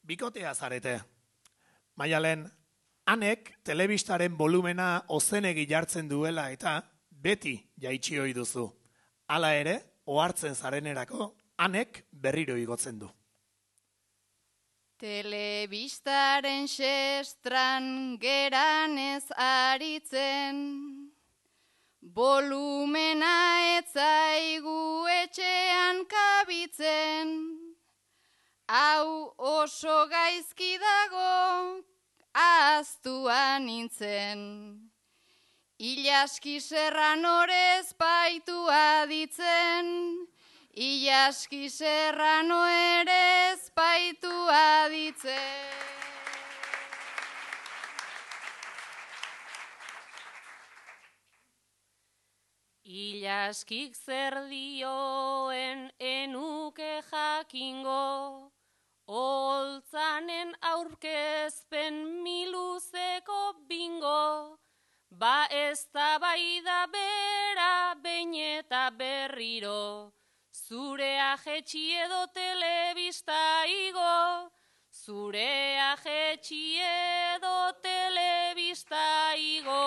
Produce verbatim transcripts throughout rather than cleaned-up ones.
bikotea zarete. Maialen, hanek telebistaren volumena ozenegi jartzen duela eta beti jaitsi ohi duzu. Hala ere, ohartzen zarenerako, hanek berriro igotzen du. Telebistaren xestran geranez aritzen, volumena etzaigu etxean kabitzen, hau oso gaizki dago ahaztua nintzen. Ilaski Serranorez paitu aditzen, Ilaski Serrano ere espaitu aditzen. Ilaskik zer dioen enuke jakingo, holtzanen aurkezpen miluzeko bingo, ba ez da bai da bera behin eta berriro, zure ajetxi edo telebista igo, zure ajetxi edo telebista igo.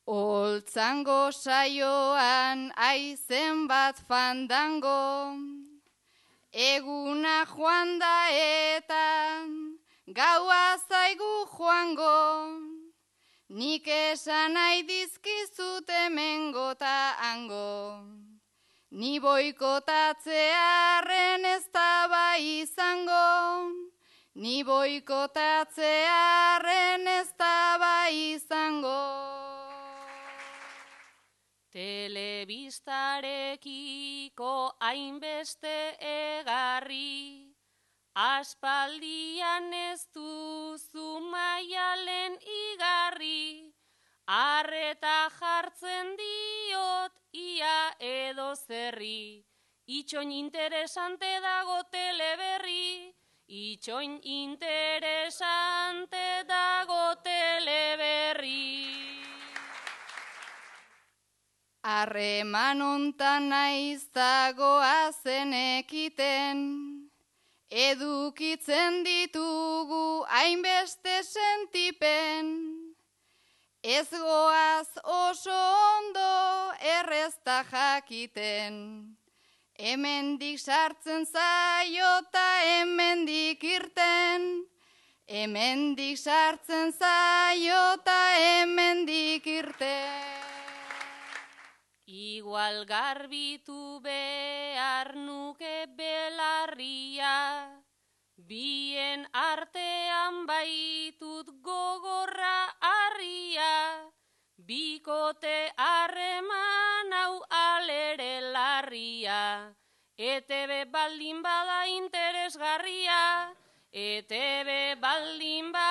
Holtzango saioan aizen bat fandango, eguna joan da eta gaua zaigu joango, nik esan nahi dizkizut hemengo ta hango, ni boikotatzearren ez da bai izango, ni boikotatzearren ez da bai izango. Telebistarekiko hainbeste egarri, aspaldian ez duzu Maialen igarri, arreta jartzen diot ia edo zerri, itxoin interesante dago teleberri, itxoin interesante dago teleberri. Harreman ontan naiz dagoa zenekiten, edukitzen ditugu hainbeste sentipen, ez goaz oso ondo errezta jakiten, hemendik sartzen zaiota hemendik irten, hemendik sartzen zaiota hemendik irten. Igual garbitu behar nuke belarria, bien artean baitut gogorra harria, bikote harreman hau alere larria, E T B baldin bada interesgarria, E T B baldin bada